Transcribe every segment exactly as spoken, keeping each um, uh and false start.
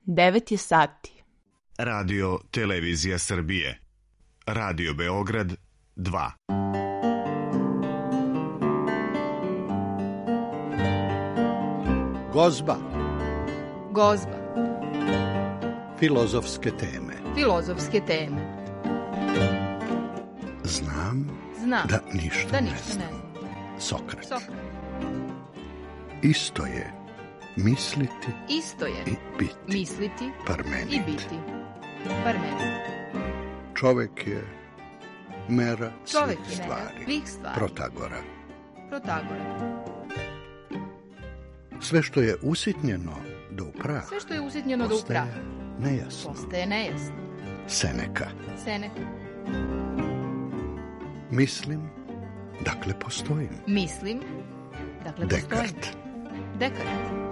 devet je sati. Radio Televizija Srbije. Radio Beograd dva. Gozba. Gozba. Filozofske teme. Filozofske teme. Znam, Znam da ništa, da ne, ništa znam. ne znam. Sokrat. Sokrat. Isto je misliti Isto je i biti. misliti Parmenid. i biti. Parmenid. Čovek je mera Čovek svih je stvari. mera svih stvari. Protagora. Protagora. Sve što je usitnjeno do upraha, Sve što je usitnjeno do upraha nejasno. postaje nejasno. Seneka. Seneka. Mislim, dakle postojim. Mislim, dakle postojim. Dekart. Dekart.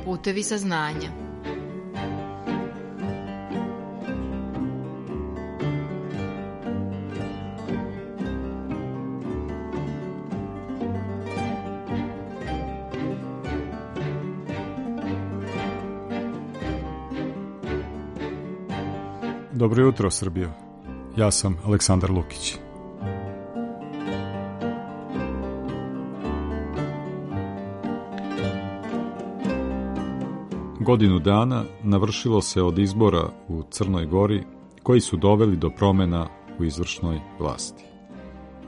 Putevi saznanja. Dobro jutro, Srbijo. Ja sam Aleksandar Lukić. Godinu dana navršilo se od izbora u Crnoj Gori koji su doveli do promjena u izvršnoj vlasti.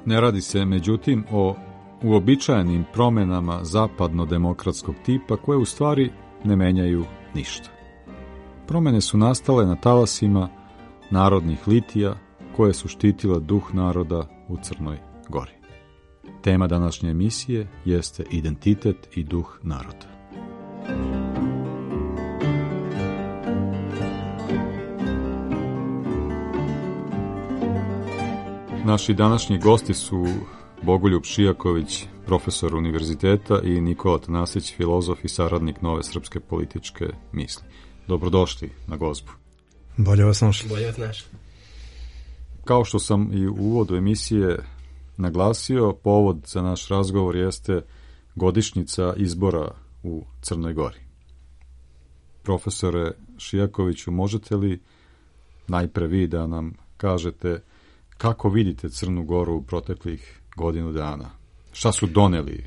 Ne radi se, međutim, o uobičajenim promjenama zapadno-demokratskog tipa koje u stvari ne menjaju ništa. Promjene su nastale na talasima narodnih litija koje su štitile duh naroda u Crnoj Gori. Tema današnje emisije jeste identitet i duh naroda. Naši današnji gosti su Bogoljub Šijaković, profesor univerziteta, i Nikola Tanasić, filozof i saradnik Nove srpske političke misli. Dobrodošli na Gozbu. Bolje vas našli. Bolje vas našli. Kao što sam i u uvodu emisije naglasio, povod za naš razgovor jeste godišnjica izbora u Crnoj Gori. Profesore Šijakoviću, možete li najpre vi da nam kažete kako vidite Crnu Goru u proteklih godinu dana? Šta su doneli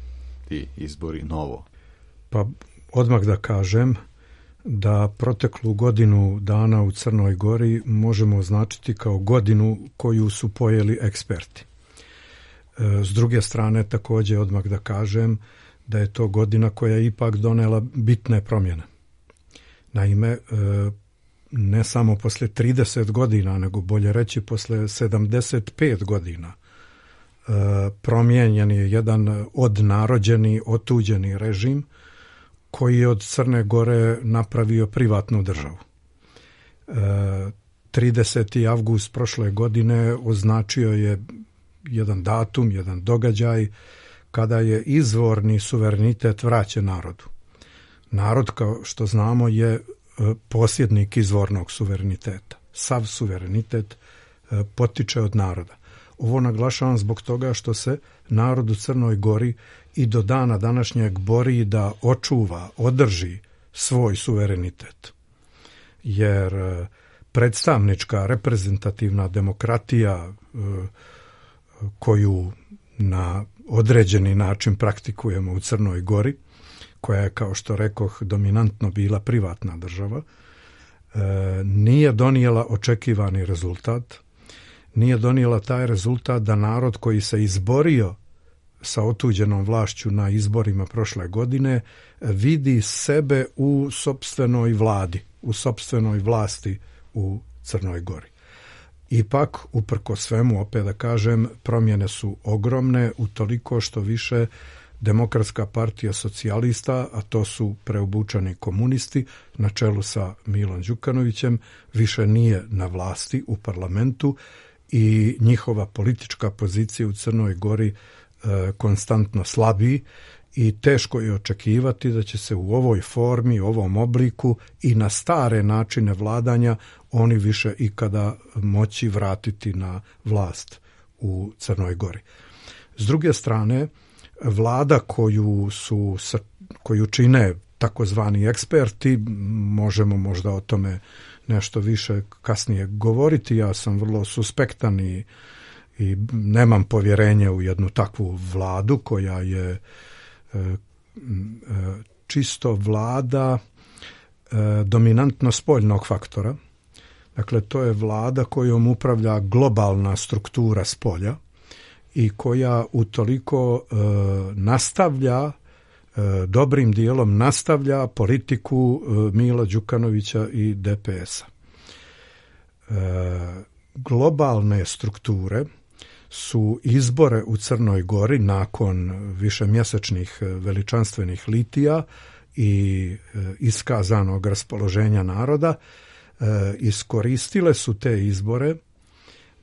ti izbori novo? Pa odmah da kažem da proteklu godinu dana u Crnoj Gori možemo označiti kao godinu koju su pojeli eksperti. S druge strane, također odmah da kažem da je to godina koja je ipak donela bitne promjene. Naime, ne samo posle trideset godina, nego bolje reći posle sedamdeset pet godina promijenjen je jedan odnarođeni, otuđeni režim koji je od Crne Gore napravio privatnu državu. tridesetog avgusta prošle godine označio je jedan datum, jedan događaj kada je izvorni suverenitet vraćen narodu. Narod, kao što znamo, je posjednik izvornog suvereniteta. Sav suverenitet potiče od naroda. Ovo naglašavam zbog toga što se narod u Crnoj Gori i do dana današnjeg bori da očuva, održi svoj suverenitet. Jer predstavnička, reprezentativna demokratija koju na određeni način praktikujemo u Crnoj Gori, koja je, kao što rekoh, dominantno bila privatna država, nije donijela očekivani rezultat, nije donijela taj rezultat da narod koji se izborio sa otuđenom vlašću na izborima prošle godine vidi sebe u sopstvenoj vladi, u sopstvenoj vlasti u Crnoj Gori. Ipak, uprko svemu, opet da kažem, promjene su ogromne utoliko što više Demokratska partija socijalista, a to su preobučani komunisti na čelu sa Milom Đukanovićem, više nije na vlasti u parlamentu i njihova politička pozicija u Crnoj Gori e, konstantno slabi i teško je očekivati da će se u ovoj formi, u ovom obliku i na stare načine vladanja oni više ikada moći vratiti na vlast u Crnoj Gori. S druge strane, vlada koju su koju čine takozvani eksperti, možemo možda o tome nešto više kasnije govoriti. Ja sam vrlo suspektan i, i nemam povjerenje u jednu takvu vladu koja je e, e, čisto vlada e, dominantno spoljnog faktora. Dakle, to je vlada kojom upravlja globalna struktura spolja i koja utoliko e, nastavlja, e, dobrim dijelom nastavlja politiku e, Mila Đukanovića i D P S-a. E, globalne strukture su izbore u Crnoj Gori nakon višemjesečnih veličanstvenih litija i e, iskazanog raspoloženja naroda e, iskoristile su te izbore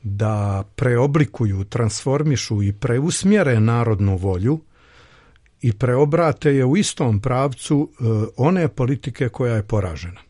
da preoblikuju, transformišu i preusmjere narodnu volju i preobrate je u istom pravcu e, one politike koja je poražena.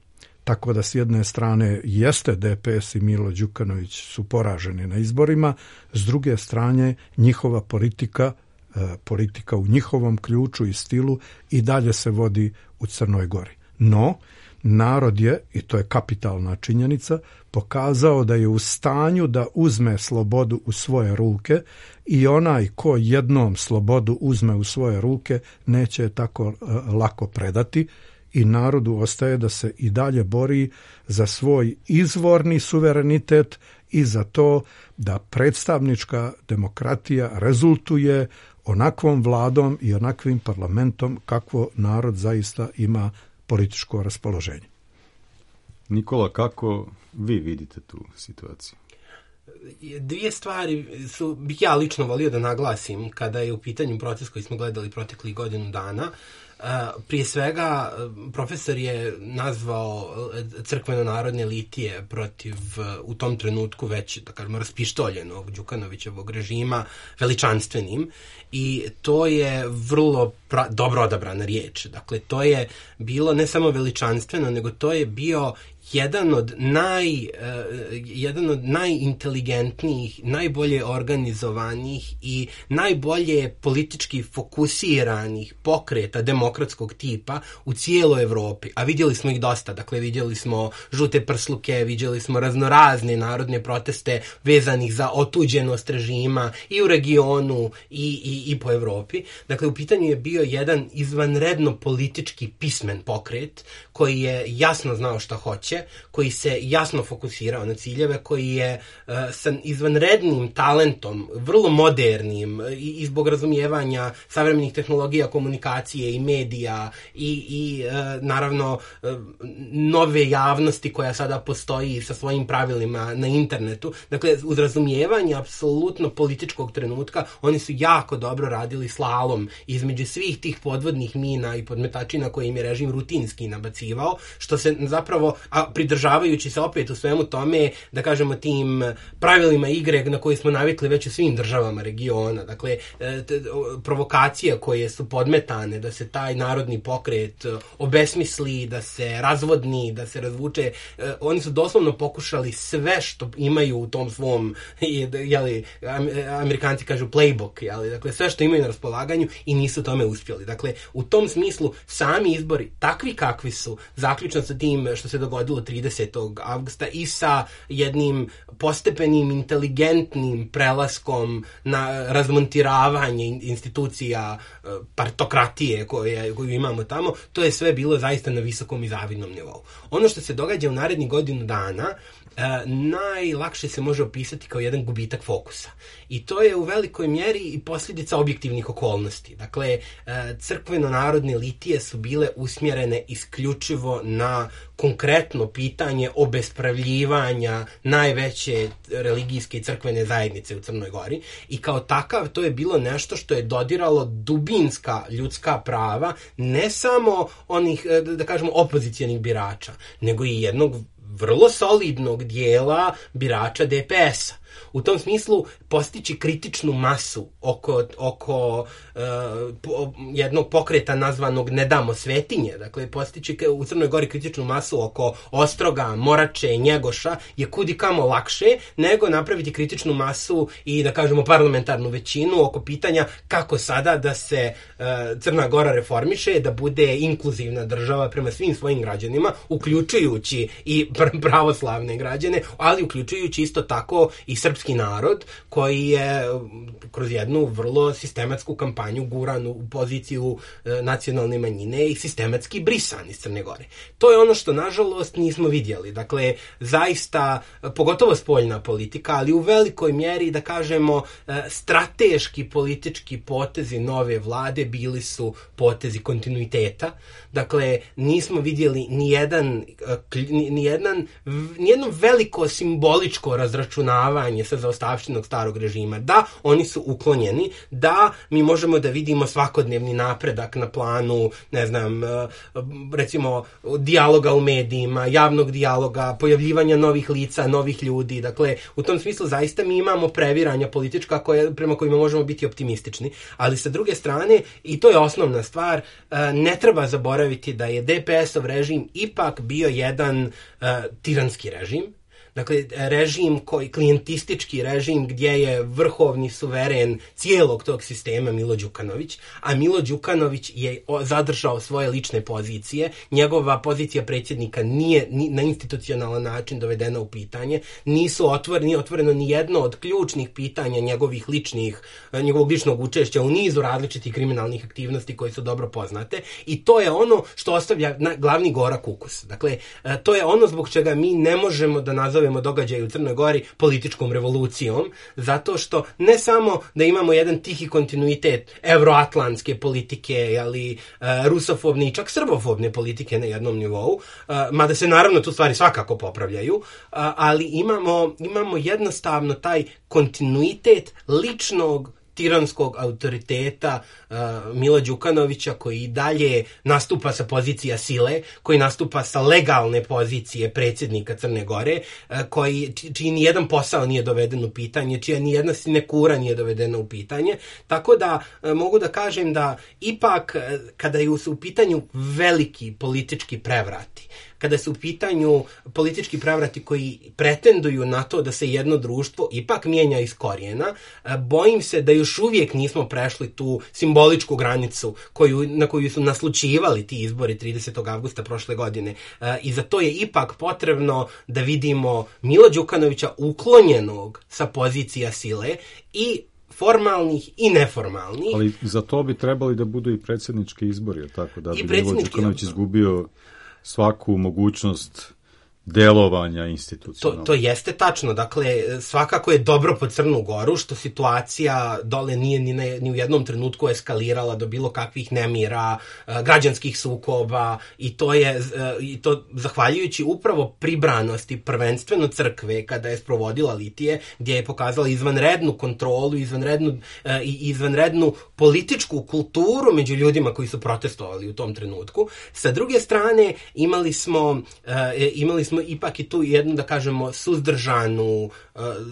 Tako da s jedne strane jeste D P S i Milo Đukanović su poraženi na izborima, s druge strane njihova politika, e, politika u njihovom ključu i stilu i dalje se vodi u Crnoj Gori. No, narod je, i to je kapitalna činjenica, pokazao da je u stanju da uzme slobodu u svoje ruke i onaj ko jednom slobodu uzme u svoje ruke neće je tako e, lako predati i narodu ostaje da se i dalje bori za svoj izvorni suverenitet i za to da predstavnička demokratija rezultuje onakvom vladom i onakvim parlamentom kakvo narod zaista ima političko raspoloženje. Nikola, kako vi vidite tu situaciju? Dvije stvari su, bih ja lično volio da naglasim kada je u pitanju proces koji smo gledali proteklih godinu dana. Prije svega, profesor je nazvao crkveno-narodne litije protiv u tom trenutku već, da kažemo, raspištoljenog Đukanovićevog režima veličanstvenim i to je vrlo pra, dobro odabrana riječ. Dakle, to je bilo ne samo veličanstveno, nego to je bio jedan od naj, uh, jedan od najinteligentnijih, najbolje organizovanih i najbolje politički fokusiranih pokreta demokratskog tipa u cijeloj Evropi. A vidjeli smo ih dosta. Dakle, vidjeli smo žute prsluke, vidjeli smo raznorazne narodne proteste vezanih za otuđenost režima i u regionu i, i, i po Evropi. Dakle, u pitanju je bio jedan izvanredno politički pismen pokret koji je jasno znao šta hoće, koji se jasno fokusirao na ciljeve, koji je uh, sa izvanrednim talentom, vrlo modernim i, i zbog razumijevanja savremenih tehnologija komunikacije i medija i, i uh, naravno uh, nove javnosti koja sada postoji sa svojim pravilima na internetu. Dakle, uz razumijevanje apsolutno političkog trenutka, oni su jako dobro radili slalom između svih tih podvodnih mina i podmetačina koje im je režim rutinski nabacivao, što se zapravo, a pridržavajući se opet u svemu tome, da kažemo, tim pravilima igre na koje smo navikli već u svim državama regiona. Dakle, provokacije koje su podmetane da se taj narodni pokret obesmisli, da se razvodni, da se razvuče, oni su doslovno pokušali sve što imaju u tom svom, jeli, Amerikanci kažu playbook, jeli, dakle, sve što imaju na raspolaganju i nisu tome uspjeli. Dakle, u tom smislu sami izbori, takvi kakvi su, zaključno sa tim što se dogodilo tridesetog avgusta i sa jednim postepenim, inteligentnim prelaskom na razmontiravanje institucija partokratije koje, koju imamo tamo, to je sve bilo zaista na visokom i zavidnom nivou. Ono što se događa u narednih godinu dana Uh, najlakše se može opisati kao jedan gubitak fokusa. I to je u velikoj mjeri i posljedica objektivnih okolnosti. Dakle, uh, crkveno-narodne litije su bile usmjerene isključivo na konkretno pitanje obespravljivanja najveće religijske i crkvene zajednice u Crnoj Gori i kao takav to je bilo nešto što je dodiralo dubinska ljudska prava ne samo onih, da kažemo, opozicijalnih birača, nego i jednog vrlo solidnog dijela birača D P S-a. U tom smislu postići kritičnu masu oko, oko uh, po, jednog pokreta nazvanog Ne damo svetinje, dakle postići u Crnoj Gori kritičnu masu oko Ostroga, Morače, Njegoša je kudikamo lakše nego napraviti kritičnu masu i da kažemo parlamentarnu većinu oko pitanja kako sada da se uh, Crna Gora reformiše, da bude inkluzivna država prema svim svojim građanima, uključujući i pravoslavne građane, ali uključujući isto tako i srpski narod koji je kroz jednu vrlo sistematsku kampanju guran u poziciju e, nacionalne manjine i sistematski brisan iz Crne Gore. To je ono što nažalost nismo vidjeli. Dakle, zaista, pogotovo spoljna politika, ali u velikoj mjeri, da kažemo, e, strateški politički potezi nove vlade bili su potezi kontinuiteta. Dakle, nismo vidjeli ni jedan, ni jedan, ni jedno veliko simboličko razračunavanje sa zaostavštinog starog režima. Da, oni su uklonjeni, da, mi možemo da vidimo svakodnevni napredak na planu, ne znam, recimo, dijaloga u medijima, javnog dijaloga, pojavljivanja novih lica, novih ljudi. Dakle, u tom smislu zaista mi imamo previranja politička koje, prema kojima možemo biti optimistični, ali sa druge strane, i to je osnovna stvar, ne treba zaboraviti da je de pe es-ov režim ipak bio jedan uh, tiranski režim. Dakle, režim koji, klijentistički režim gdje je vrhovni suveren cijelog tog sistema Milo Đukanović, a Milo Đukanović je zadržao svoje lične pozicije. Njegova pozicija predsjednika nije ni, na institucionalan način dovedena u pitanje. Nisu otvoreni, nije otvoreno ni jedno od ključnih pitanja njegovih ličnih, njegovog ličnog učešća u nizu različitih kriminalnih aktivnosti koje su dobro poznate. I to je ono što ostavlja na, glavni gorak ukus. Dakle, to je ono zbog čega mi ne možemo da nazovemo događaj u Crnoj Gori političkom revolucijom, zato što ne samo da imamo jedan tihi kontinuitet evroatlantske politike, ali rusofobne i čak srbofobne politike na jednom nivou, mada se naravno tu stvari svakako popravljaju, ali imamo, imamo jednostavno taj kontinuitet ličnog tiranskog autoriteta uh, Mila Đukanovića koji i dalje nastupa sa pozicija sile, koji nastupa sa legalne pozicije predsjednika Crne Gore, uh, koji, čiji ni jedan posao nije doveden u pitanje, čija ni jedna sinekura nije dovedena u pitanje. Tako da uh, mogu da kažem da ipak uh, kada je u pitanju veliki politički prevrati, kada su u pitanju politički prevrati koji pretenduju na to da se jedno društvo ipak mijenja iz korijena, bojim se da još uvijek nismo prešli tu simboličku granicu koju, na koju su naslučivali ti izbori tridesetog avgusta prošle godine. I za to je ipak potrebno da vidimo Mila Đukanovića uklonjenog sa pozicija sile i formalnih i neformalnih. Ali za to bi trebali da budu i predsjednički izbori, tako da bi Milo Đukanović izgubio svaku mogućnost delovanja institucionalno. To, to jeste tačno. Dakle, svakako je dobro po Crnu Goru što situacija dole nije ni, ne, ni u jednom trenutku eskalirala do bilo kakvih nemira, građanskih sukoba i to je i to zahvaljujući upravo pribranosti prvenstveno crkve kada je sprovodila litije, gdje je pokazala izvanrednu kontrolu, izvanrednu, i izvanrednu političku kulturu među ljudima koji su protestovali u tom trenutku. Sa druge strane, imali smo, imali smo ipak i tu jednu, da kažemo, suzdržanu,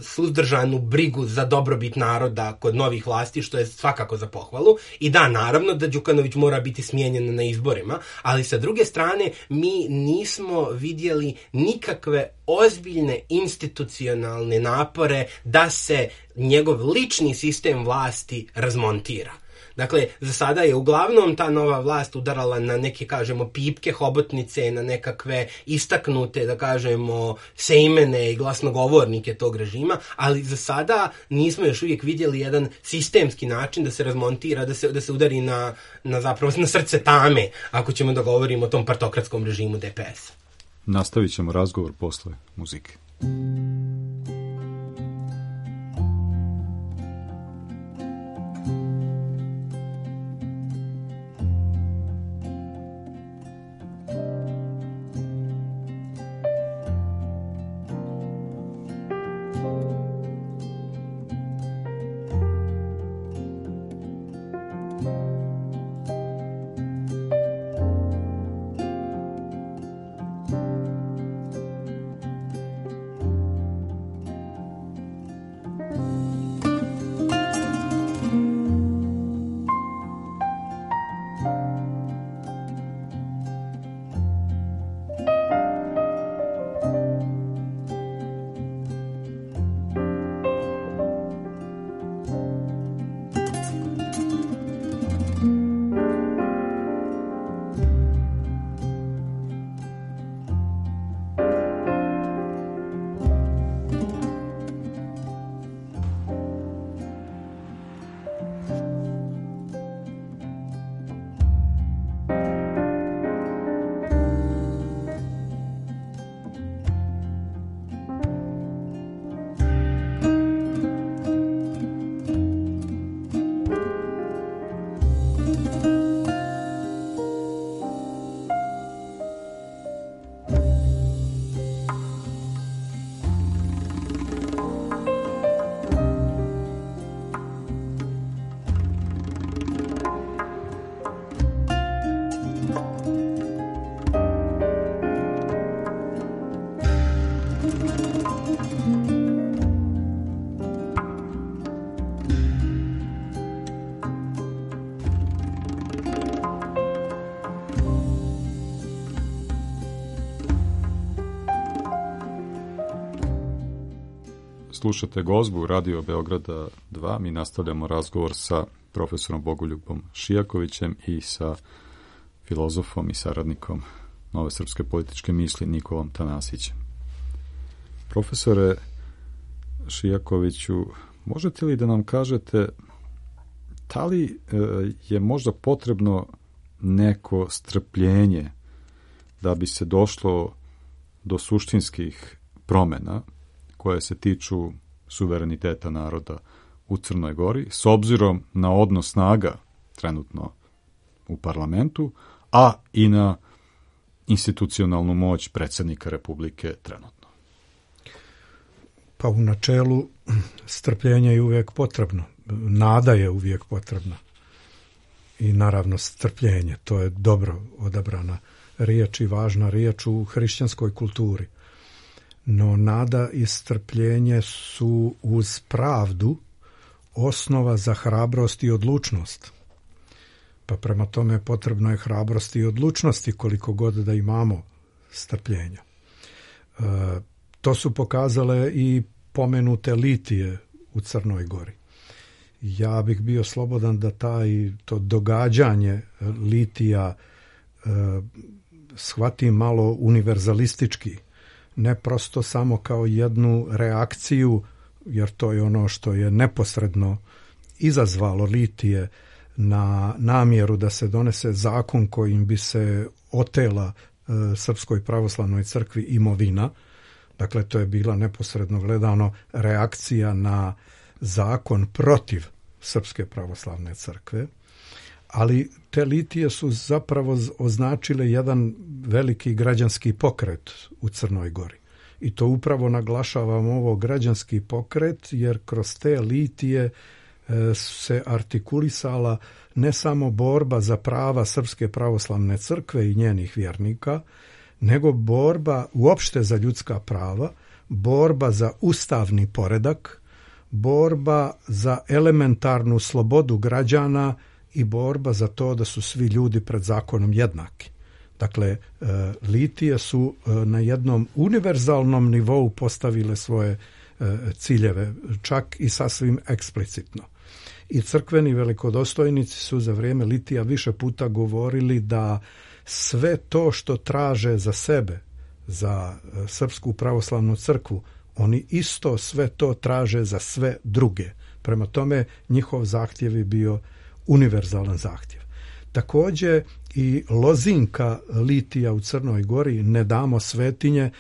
suzdržanu brigu za dobrobit naroda kod novih vlasti, što je svakako za pohvalu. I da, naravno da Đukanović mora biti smijenjen na izborima, ali sa druge strane mi nismo vidjeli nikakve ozbiljne institucionalne napore da se njegov lični sistem vlasti razmontira. Dakle, za sada je uglavnom ta nova vlast udarala na neke, kažemo, pipke, hobotnice, na nekakve istaknute, da kažemo, sejmene i glasnogovornike tog režima, ali za sada nismo još uvijek vidjeli jedan sistemski način da se razmontira, da se, da se udari na, na zapravo na srce tame, ako ćemo da govorimo o tom partokratskom režimu de pe es. Nastavit ćemo razgovor posle muzike. Slušate Gozbu Radio Beograda dva. Mi nastavljamo razgovor sa profesorom Bogoljubom Šijakovićem i sa filozofom i saradnikom Nove srpske političke misli Nikolom Tanasićem. Profesore Šijakoviću, možete li da nam kažete da li je možda potrebno neko strpljenje da bi se došlo do suštinskih promena koje se tiču suvereniteta naroda u Crnoj Gori, s obzirom na odnos snaga trenutno u parlamentu, a i na institucionalnu moć predsjednika Republike trenutno? Pa u načelu strpljenje je uvijek potrebno. Nada je uvijek potrebna. I naravno strpljenje, to je dobro odabrana riječ i važna riječ u hrišćanskoj kulturi. No nada i strpljenje su uz pravdu osnova za hrabrost i odlučnost. Pa prema tome potrebno je hrabrosti i odlučnosti koliko god da imamo strpljenja. E, to su pokazale i pomenute litije u Crnoj Gori. Ja bih bio slobodan da taj, to događanje litija e, shvatim malo univerzalistički, ne prosto samo kao jednu reakciju, jer to je ono što je neposredno izazvalo litije na namjeru da se donese zakon kojim bi se otela e, Srpskoj pravoslavnoj crkvi imovina. Dakle, to je bila neposredno gledano reakcija na zakon protiv Srpske pravoslavne crkve, ali te litije su zapravo označile jedan veliki građanski pokret u Crnoj Gori. I to upravo naglašavam ovo građanski pokret, jer kroz te litije se artikulisala ne samo borba za prava Srpske pravoslavne crkve i njenih vjernika, nego borba uopšte za ljudska prava, borba za ustavni poredak, borba za elementarnu slobodu građana i borba za to da su svi ljudi pred zakonom jednaki. Dakle, litije su na jednom univerzalnom nivou postavile svoje ciljeve, čak i sasvim eksplicitno. I crkveni velikodostojnici su za vrijeme litija više puta govorili da sve to što traže za sebe, za Srpsku pravoslavnu crkvu, oni isto sve to traže za sve druge. Prema tome, njihov zahtjev je bio univerzalan zahtjev. Također i lozinka litija u Crnoj Gori, ne damo svetinje,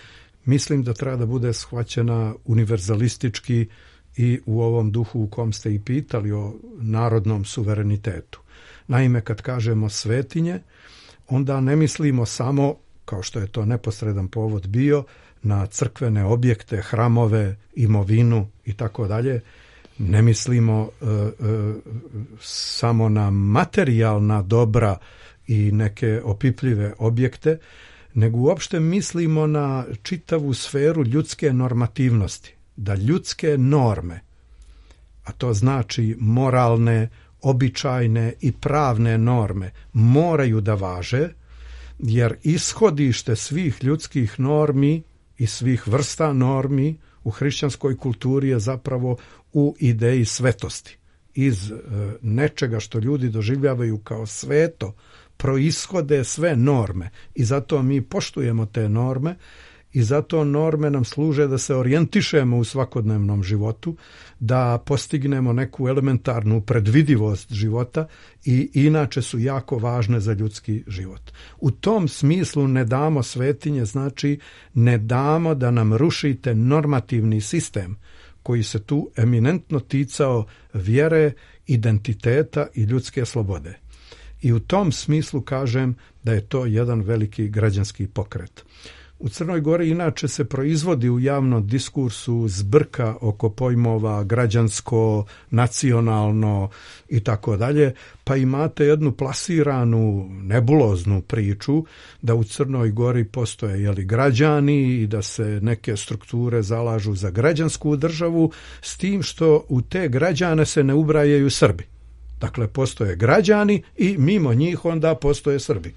mislim da treba da bude shvaćena univerzalistički i u ovom duhu u kom ste i pitali o narodnom suverenitetu. Naime, kad kažemo svetinje, onda ne mislimo samo, kao što je to neposredan povod bio, na crkvene objekte, hramove, imovinu i tako dalje. Ne mislimo e, e, samo na materijalna dobra i neke opipljive objekte, nego uopšte mislimo na čitavu sferu ljudske normativnosti. Da ljudske norme, a to znači moralne, običajne i pravne norme, moraju da važe, jer ishodište svih ljudskih normi i svih vrsta normi u hrišćanskoj kulturi je zapravo u ideji svetosti. Iz e, nečega što ljudi doživljavaju kao sveto proishode sve norme i zato mi poštujemo te norme i zato norme nam služe da se orijentišemo u svakodnevnom životu, da postignemo neku elementarnu predvidivost života i inače su jako važne za ljudski život. U tom smislu ne damo svetinje, znači ne damo da nam rušite normativni sistem koji se tu eminentno ticao vjere, identiteta i ljudske slobode. I u tom smislu kažem da je to jedan veliki građanski pokret. U Crnoj Gori inače se proizvodi u javnom diskursu zbrka oko pojmova građansko, nacionalno i tako dalje, pa imate jednu plasiranu nebuloznu priču da u Crnoj Gori postoje jeli, građani i da se neke strukture zalažu za građansku državu, s tim što u te građane se ne ubrajaju Srbi. Dakle, postoje građani i mimo njih onda postoje Srbi.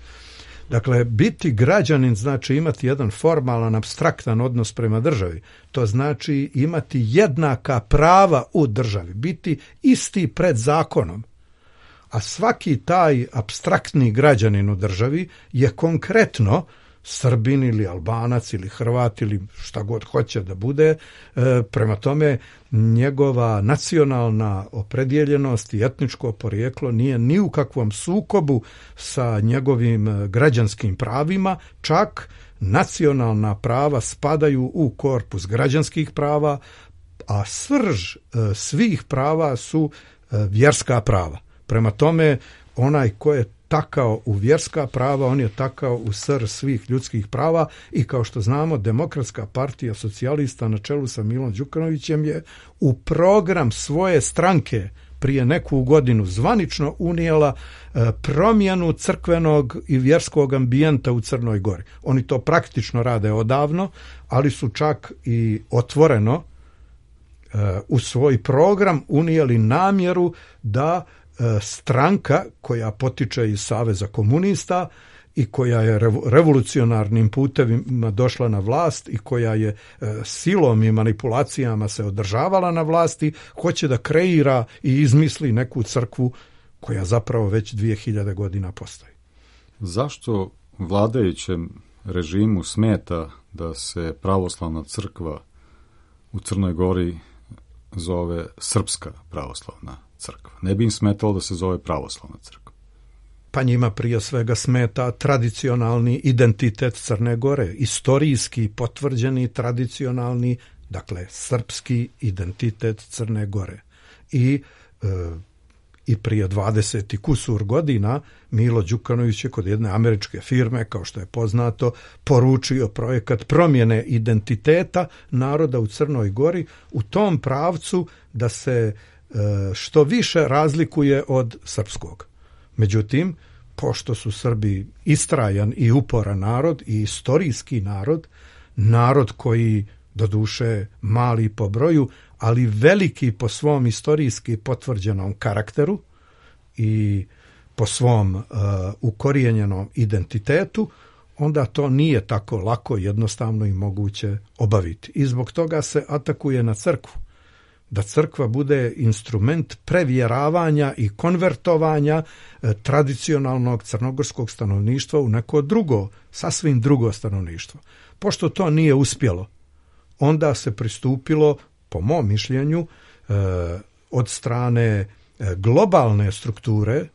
Dakle, biti građanin znači imati jedan formalan, apstraktan odnos prema državi. To znači imati jednaka prava u državi, biti isti pred zakonom. A svaki taj apstraktni građanin u državi je konkretno Srbin ili Albanac ili Hrvat ili šta god hoće da bude. E, prema tome, njegova nacionalna opredjeljenost i etničko porijeklo nije ni u kakvom sukobu sa njegovim građanskim pravima, čak nacionalna prava spadaju u korpus građanskih prava, a srž e, svih prava su e, vjerska prava. Prema tome, onaj ko je takao u vjerska prava, on je takao u srž svih ljudskih prava i kao što znamo, Demokratska partija socijalista na čelu sa Milom Đukanovićem je u program svoje stranke prije neku godinu zvanično unijela e, promjenu crkvenog i vjerskog ambijenta u Crnoj Gori. Oni to praktično rade odavno, ali su čak i otvoreno e, u svoj program unijeli namjeru da stranka koja potiče iz Saveza komunista i koja je revolucionarnim putevima došla na vlast i koja je silom i manipulacijama se održavala na vlasti, hoće da kreira i izmisli neku crkvu koja zapravo već dvije hiljade godina postoji. Zašto vladajućem režimu smeta da se pravoslavna crkva u Crnoj Gori zove Srpska pravoslavna crkva? Ne bi im smetalo da se zove pravoslavna crkva. Pa njima prije svega smeta tradicionalni identitet Crne Gore, istorijski potvrđeni tradicionalni, dakle, srpski identitet Crne Gore. I, e, i prije dvadeset i kusur godina Milo Đukanović je kod jedne američke firme, kao što je poznato, poručio projekat promjene identiteta naroda u Crnoj Gori u tom pravcu da se što više razlikuje od srpskog. Međutim, pošto su Srbi istrajan i uporan narod i istorijski narod, narod koji doduše mali po broju, ali veliki po svom istorijski potvrđenom karakteru i po svom uh, ukorijenjenom identitetu, onda to nije tako lako, jednostavno i moguće obaviti. I zbog toga se atakuje na crkvu. Da crkva bude instrument prevjeravanja i konvertovanja e, tradicionalnog crnogorskog stanovništva u neko drugo, sasvim drugo stanovništvo. Pošto to nije uspjelo, onda se pristupilo, po mom mišljenju, e, od strane e, globalne strukture, e,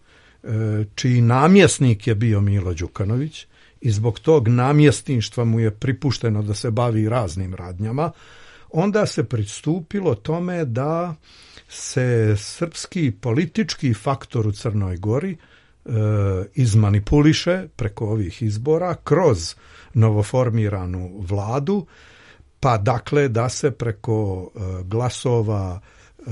čiji namjesnik je bio Milo Đukanović i zbog tog namjesništva mu je pripušteno da se bavi raznim radnjama, onda se pristupilo tome da se srpski politički faktor u Crnoj Gori e, izmanipuliše preko ovih izbora kroz novoformiranu vladu, pa dakle da se preko e, glasova e,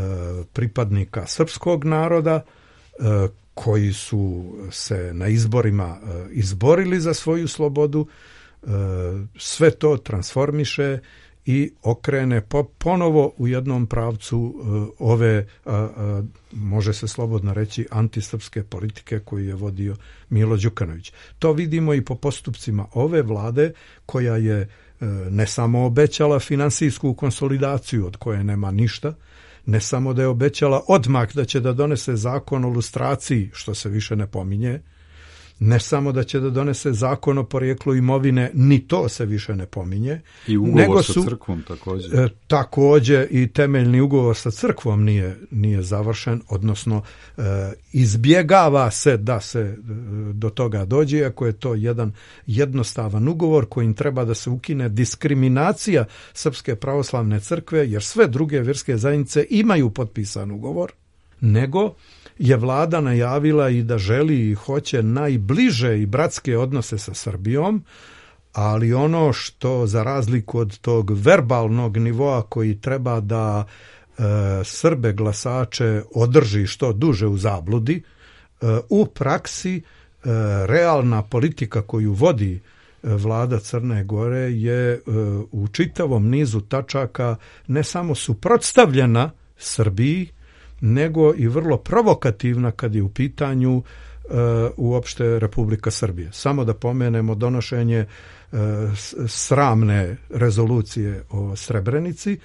pripadnika srpskog naroda e, koji su se na izborima e, izborili za svoju slobodu, e, sve to transformiše i okrene po, ponovo u jednom pravcu uh, ove, uh, uh, može se slobodno reći, antisrpske politike koju je vodio Milo Đukanović. To vidimo i po postupcima ove vlade koja je uh, ne samo obećala finansijsku konsolidaciju od koje nema ništa, ne samo da je obećala odmah da će da donese zakon o lustraciji, što se više ne pominje, ne samo da će da donese zakon o porijeklu imovine, ni to se više ne pominje. I ugovor nego sa su, crkvom također. E, također i temeljni ugovor sa crkvom nije, nije završen, odnosno e, izbjegava se da se e, do toga dođe, ako je to jedan jednostavan ugovor kojim treba da se ukine diskriminacija Srpske pravoslavne crkve, jer sve druge vjerske zajednice imaju potpisan ugovor, nego je vlada najavila i da želi i hoće najbliže i bratske odnose sa Srbijom, ali ono što za razliku od tog verbalnog nivoa koji treba da e, Srbe glasače održi što duže u zabludi, e, u praksi e, realna politika koju vodi vlada Crne Gore je e, u čitavom nizu tačaka ne samo suprotstavljena Srbiji, nego i vrlo provokativna kad je u pitanju uh, uopšte Republika Srbije. Samo da pomenemo donošenje uh, sramne rezolucije o Srebrenici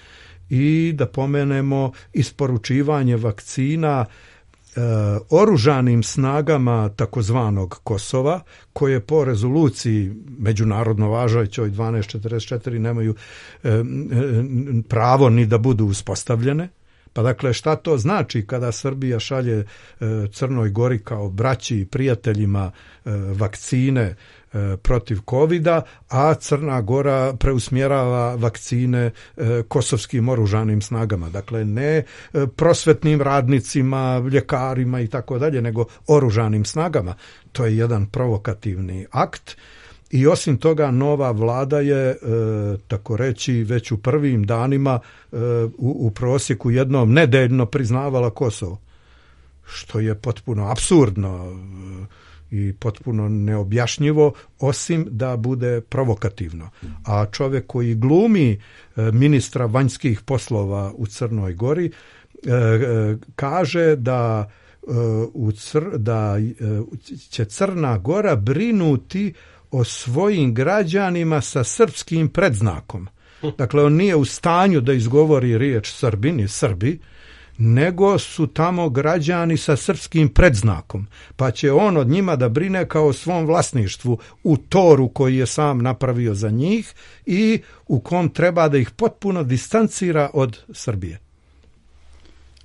i da pomenemo isporučivanje vakcina uh, oružanim snagama takozvanog Kosova, koje po rezoluciji međunarodno važećoj dvanaest četrdeset četiri nemaju uh, pravo ni da budu uspostavljene. Pa dakle, šta to znači kada Srbija šalje e, Crnoj Gori kao braći i prijateljima e, vakcine e, protiv kovida, a Crna Gora preusmjerava vakcine e, kosovskim oružanim snagama. Dakle, ne e, prosvetnim radnicima, ljekarima i tako dalje, nego oružanim snagama. To je jedan provokativni akt. I osim toga, nova vlada je, e, tako reći, već u prvim danima e, u, u prosjeku jednom nedeljno priznavala Kosovo, što je potpuno apsurdno e, i potpuno neobjašnjivo, osim da bude provokativno. A čovjek koji glumi e, ministra vanjskih poslova u Crnoj Gori e, e, kaže da, e, u cr, da e, će Crna Gora brinuti o svojim građanima sa srpskim predznakom. Dakle, on nije u stanju da izgovori riječ Srbin i Srbi, nego su tamo građani sa srpskim predznakom. Pa će on od njima da brine kao o svom vlasništvu u toru koji je sam napravio za njih i u kom treba da ih potpuno distancira od Srbije.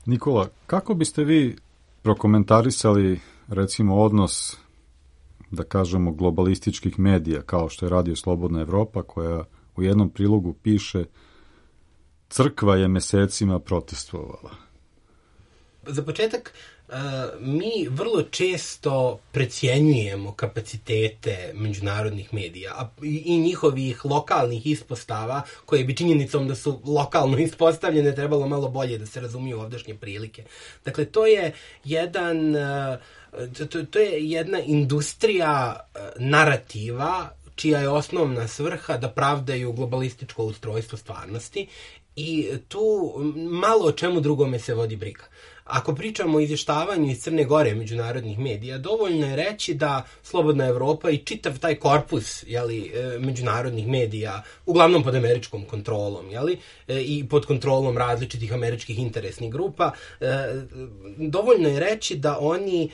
Nikola, kako biste vi prokomentarisali, recimo, odnos, da kažemo, globalističkih medija, kao što je Radio Slobodna Evropa, koja u jednom prilogu piše: crkva je mesecima protestvovala? Za početak, mi vrlo često precjenjujemo kapacitete međunarodnih medija i njihovih lokalnih ispostava, koje bi činjenicom da su lokalno ispostavljene trebalo malo bolje da se razumiju ovdašnje prilike. Dakle, to je jedan... To, to je jedna industrija narativa čija je osnovna svrha da pravdaju globalističko ustrojstvo stvarnosti i tu malo o čemu drugome se vodi briga. Ako pričamo o izvještavanju iz Crne Gore međunarodnih medija, dovoljno je reći da Slobodna Evropa i čitav taj korpus, jeli, međunarodnih medija, uglavnom pod američkom kontrolom, jeli, i pod kontrolom različitih američkih interesnih grupa, dovoljno je reći da oni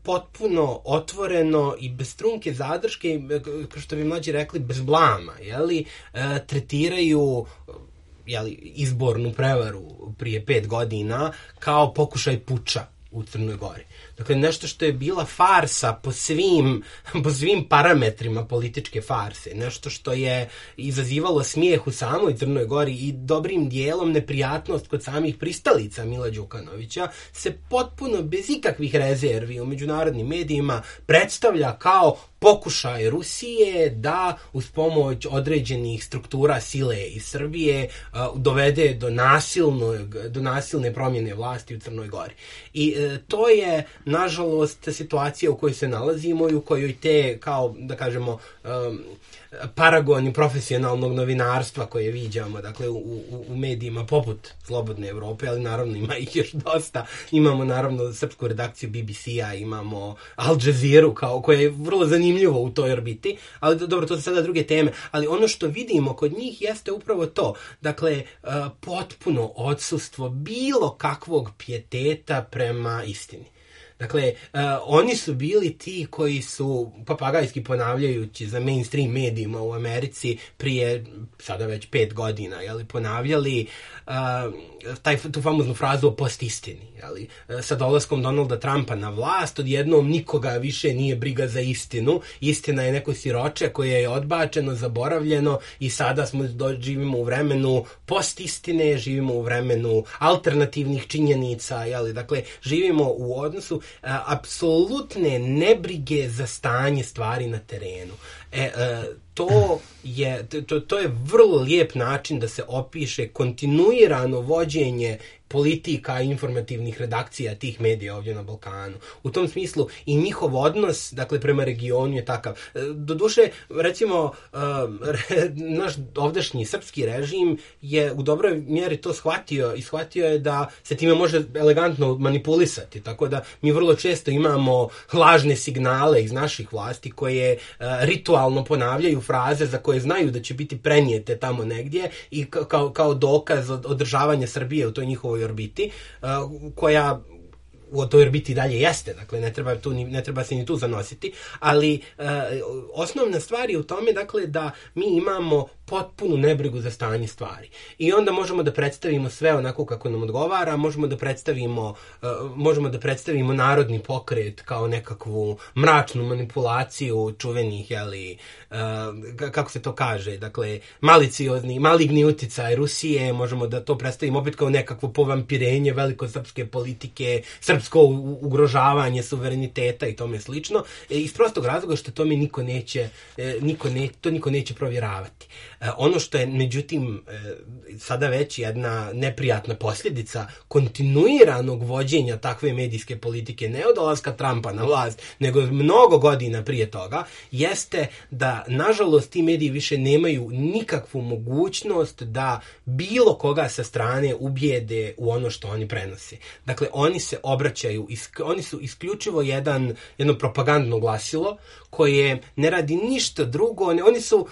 potpuno otvoreno i bez trunke zadrške, kao što bi mlađi rekli, bez blama, jeli, tretiraju jeli, izbornu prevaru prije pet godina kao pokušaj puča u Crnoj Gori. Dakle, nešto što je bila farsa po svim, po svim parametrima političke farse, nešto što je izazivalo smijeh u samoj Crnoj Gori i dobrim dijelom neprijatnost kod samih pristalica Mila Đukanovića, se potpuno bez ikakvih rezervi u međunarodnim medijima predstavlja kao pokušaj Rusije da uz pomoć određenih struktura sile iz Srbije uh, dovede do nasilnog, do nasilne promjene vlasti u Crnoj Gori. I uh, to je, nažalost, situacija u kojoj se nalazimo i u kojoj te, kao da kažemo, um, paragoni profesionalnog novinarstva koje viđamo, dakle, u, u, u medijima poput Slobodne Evrope, ali naravno ima ih još dosta. Imamo naravno srpsku redakciju B B C-a, imamo Al Jazeera, kao, koja je vrlo zanimljivo u toj orbiti, ali dobro, to su sada druge teme. Ali ono što vidimo kod njih jeste upravo to. Dakle, uh, potpuno odsustvo bilo kakvog pijeteta prema istini. Dakle, uh, oni su bili ti koji su, papagajski ponavljajući za mainstream medijima u Americi prije, sada već pet godina, jeli, ponavljali uh, taj, tu famoznu frazu o postistini. Jeli. Sa dolaskom Donalda Trumpa na vlast, odjednom nikoga više nije briga za istinu. Istina je neko siroče koje je odbačeno, zaboravljeno i sada smo živimo u vremenu postistine, živimo u vremenu alternativnih činjenica, jeli. Dakle, živimo u odnosu a, apsolutne nebrige za stanje stvari na terenu. E, a, to je, to, to je vrlo lijep način da se opiše kontinuirano vođenje politika i informativnih redakcija tih medija ovdje na Balkanu. U tom smislu i njihov odnos, dakle, prema regionu je takav. Doduše, recimo, naš ovdašnji srpski režim je u dobroj mjeri to shvatio i shvatio je da se time može elegantno manipulisati, tako da mi vrlo često imamo lažne signale iz naših vlasti koje ritualno ponavljaju fraze za koje znaju da će biti prenijete tamo negdje i kao, kao dokaz održavanja Srbije u toj njihovoj orbiti, koja u toj orbiti dalje jeste, dakle ne treba, tu, ne treba se ni tu zanositi, ali uh, osnovna stvar je u tome, dakle, da mi imamo potpunu nebrigu za stanje stvari. I onda možemo da predstavimo sve onako kako nam odgovara, možemo da predstavimo, uh, možemo da predstavimo narodni pokret kao nekakvu mračnu manipulaciju čuvenih, jeli, uh, kako se to kaže, dakle, maliciozni, maligni uticaj Rusije, možemo da to predstavimo opet kao nekakvo povampirenje velikosrpske politike, srpsko ugrožavanje suvereniteta i tome slično, iz prostog razloga što tome niko neće, niko ne, to niko neće provjeravati. Ono što je, međutim, sada već jedna neprijatna posljedica kontinuiranog vođenja takve medijske politike, ne od dolaska Trumpa na vlast, nego mnogo godina prije toga, jeste da, nažalost, ti mediji više nemaju nikakvu mogućnost da bilo koga sa strane ubijede u ono što oni prenose. Dakle, oni se obraćaju, oni su isključivo jedan, jedno propagandno glasilo koje ne radi ništa drugo, oni su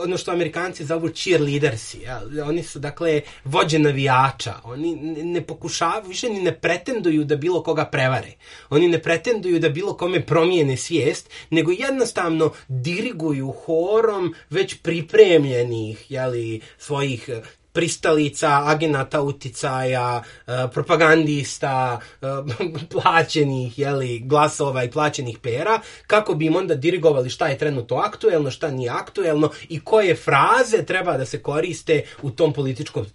ono što Amerikanci zovu cheerleadersi, ja? Oni su, dakle, vođe navijača, oni ne pokušavaju, više ni ne pretenduju da bilo koga prevare, oni ne pretenduju da bilo kome promijene svijest, nego jednostavno diriguju horom već pripremljenih, jeli, svojih pristalica, agenata uticaja, propagandista, plaćenih, jeli, glasova i plaćenih pera, kako bi im onda dirigovali šta je trenutno aktuelno, šta nije aktuelno i koje fraze treba da se koriste u tom političkom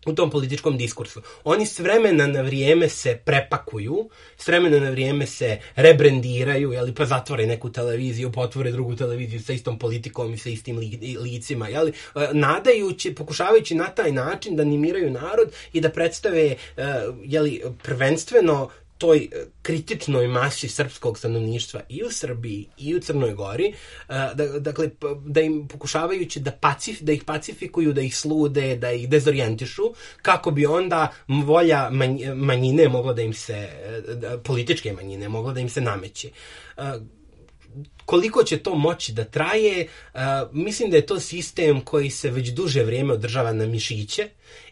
u tom političkom diskursu. Oni s vremena na vrijeme se prepakuju, s vremena na vrijeme se rebrendiraju, jeli, pa zatvore neku televiziju, pa otvore drugu televiziju sa istom politikom i sa istim li, licima, jeli, nadajući, pokušavajući na taj način da animiraju narod i da predstave, jeli, prvenstveno toj kritičnoj masi srpskog stanovništva i u Srbiji i u Crnoj Gori, dakle, da im pokušavajući da, pacif, da ih pacifikuju, da ih slude, da ih dezorijentišu, kako bi onda volja manjine mogla da im se, političke manjine mogla da im se nameće. Koliko će to moći da traje, mislim da je to sistem koji se već duže vrijeme održava na mišiće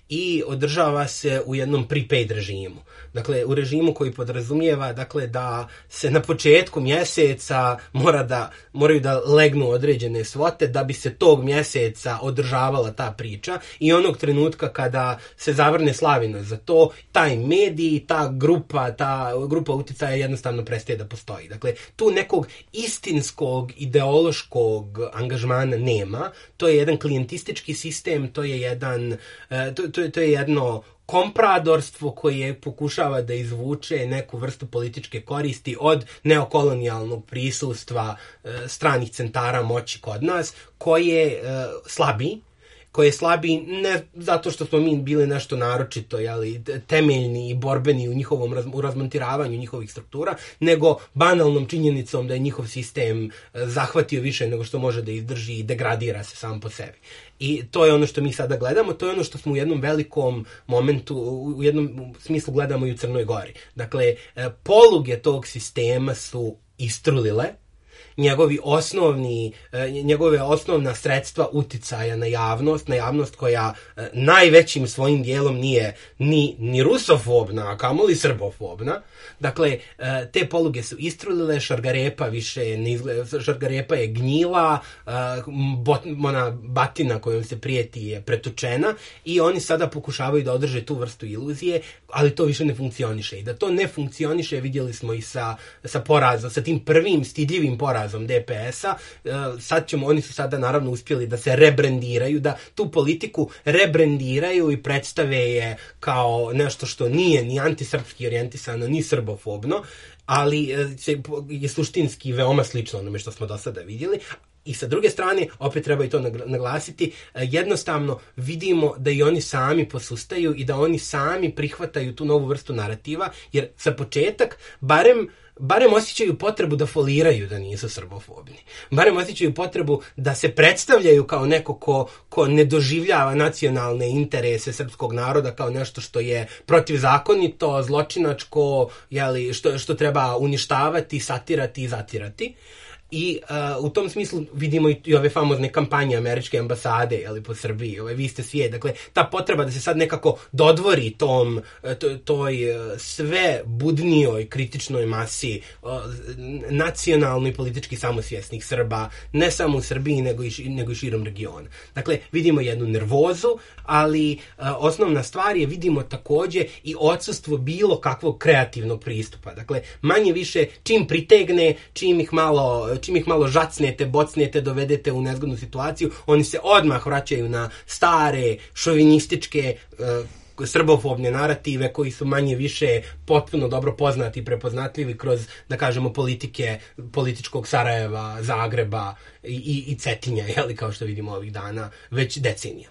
i održava se u jednom prepaid režimu. Dakle, u režimu koji podrazumijeva, dakle, da se na početku mjeseca mora da, moraju da legnu određene svote da bi se tog mjeseca održavala ta priča i onog trenutka kada se zavrne slavina za to, taj medij, ta grupa, ta grupa uticaja jednostavno prestaje da postoji. Dakle, tu nekog istinskog ideološkog angažmana nema, to je jedan klijentistički sistem, to je jedan, to, to, to je jedno kompradorstvo koje pokušava da izvuče neku vrstu političke koristi od neokolonijalnog prisustva e, stranih centara moći kod nas, koje e, slabi, koje je slabi ne zato što smo mi bili nešto naročito, jeli, temeljni i borbeni u njihovom raz, u razmontiravanju njihovih struktura, nego banalnom činjenicom da je njihov sistem zahvatio više nego što može da izdrži i degradira se sam po sebi. I to je ono što mi sada gledamo, to je ono što smo u jednom velikom momentu, u jednom smislu gledamo i u Crnoj Gori. Dakle, poluge tog sistema su istrulile njegovi osnovni, njegove osnovna sredstva uticaja na javnost, na javnost koja najvećim svojim dijelom nije ni, ni rusofobna, a kamoli srbofobna. Dakle, te poluge su istrulile, Šargarepa više ne izgleda, Šargarepa je gnjila, bot, ona batina kojom se prijeti je pretučena i oni sada pokušavaju da održe tu vrstu iluzije, ali to više ne funkcioniše. I da to ne funkcioniše vidjeli smo i sa, sa porazom, sa tim prvim stidljivim porazom D P S-a. Sad ćemo, oni su sada naravno uspjeli da se rebrendiraju, da tu politiku rebrendiraju i predstave je kao nešto što nije ni antisrpski orijentisano, ni srbofobno, ali je suštinski veoma slično onome što smo do sada vidjeli. I sa druge strane, opet treba i to naglasiti, jednostavno vidimo da i oni sami posustaju i da oni sami prihvataju tu novu vrstu narativa, jer za početak, barem barem osjećaju potrebu da foliraju da nisu srbofobni. Barem osjećaju potrebu da se predstavljaju kao neko ko, ko ne doživljava nacionalne interese srpskog naroda kao nešto što je protivzakonito, zločinačko, jeli, što, što treba uništavati, satirati i zatirati. I uh, u tom smislu vidimo i, i ove famozne kampanje američke ambasade, jeli, po Srbiji, ove vi ste svijet. Dakle, ta potreba da se sad nekako dodvori tom, to, toj sve budnijoj kritičnoj masi uh, nacionalno i politički samosvjesnih Srba, ne samo u Srbiji, nego i, nego i širom regiona. Dakle, vidimo jednu nervozu, ali uh, osnovna stvar je, vidimo također i odsustvo bilo kakvog kreativnog pristupa. Dakle, manje više čim pritegne, čim ih malo čim ih malo žacnete, bocnete, dovedete u nezgodnu situaciju, oni se odmah vraćaju na stare, šovinističke, uh, srbofobne narative koji su manje više potpuno dobro poznati i prepoznatljivi kroz, da kažemo, politike političkog Sarajeva, Zagreba i, i, i Cetinja, jeli, kao što vidimo ovih dana, već decenija.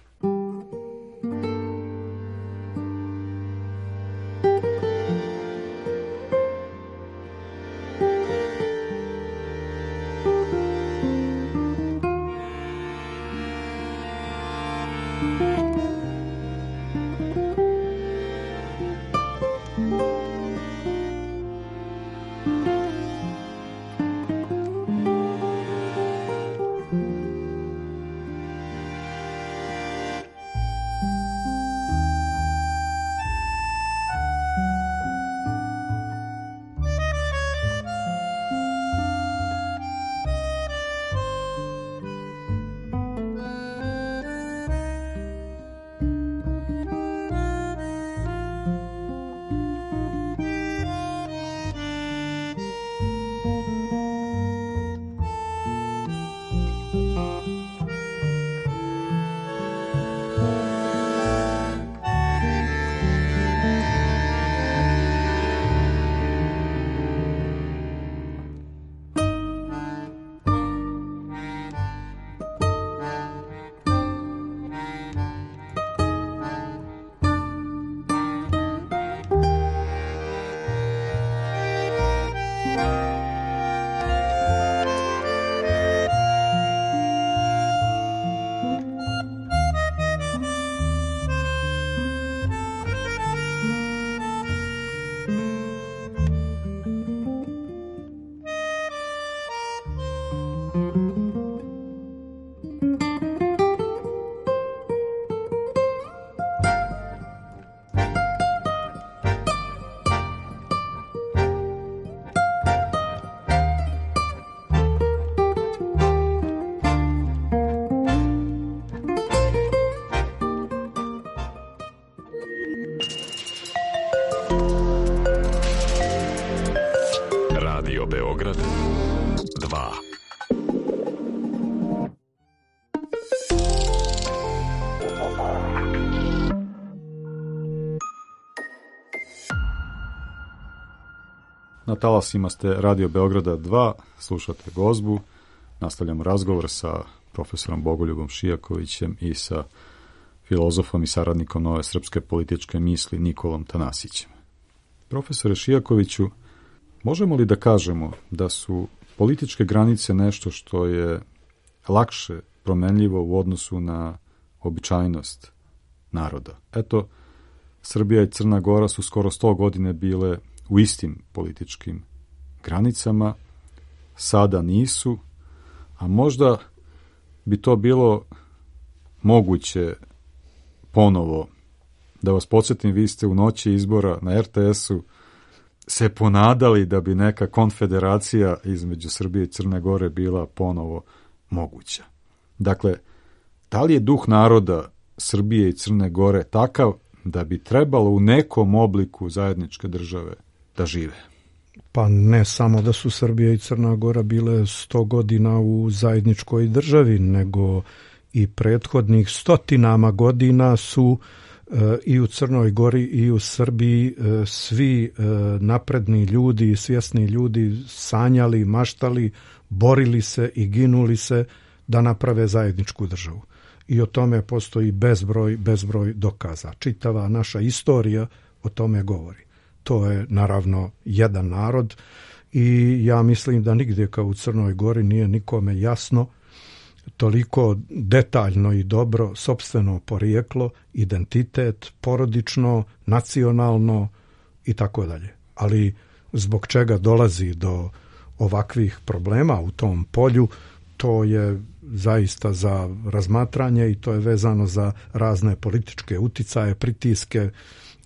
Beograd dva. Na talasima ste Radio Beograda dva, slušate Gozbu, nastavljamo razgovor sa profesorom Bogoljubom Šijakovićem i sa filozofom i saradnikom nove srpske političke misli Nikolom Tanasićem. Profesore Šijakoviću, možemo li da kažemo da su političke granice nešto što je lakše promenljivo u odnosu na običajnost naroda? Eto, Srbija i Crna Gora su skoro sto godine bile u istim političkim granicama sada nisu, a možda bi to bilo moguće ponovo. Da vas podsjetim, vi ste u noći izbora na er te esu se ponadali da bi neka konfederacija između Srbije i Crne Gore bila ponovo moguća. Dakle, da li je duh naroda Srbije i Crne Gore takav da bi trebalo u nekom obliku zajedničke države da žive? Pa ne samo da su Srbija i Crna Gora bile sto godina u zajedničkoj državi, nego i prethodnih stotinama godina su e, i u Crnoj Gori i u Srbiji e, svi e, napredni ljudi i svjesni ljudi sanjali, maštali, borili se i ginuli se da naprave zajedničku državu. I o tome postoji bezbroj, bezbroj dokaza. Čitava naša istorija o tome govori. To je naravno jedan narod i ja mislim da nigdje kao u Crnoj Gori nije nikome jasno toliko detaljno i dobro sopstveno porijeklo, identitet, porodično, nacionalno i tako dalje. Ali zbog čega dolazi do ovakvih problema u tom polju, to je zaista za razmatranje i to je vezano za razne političke uticaje, pritiske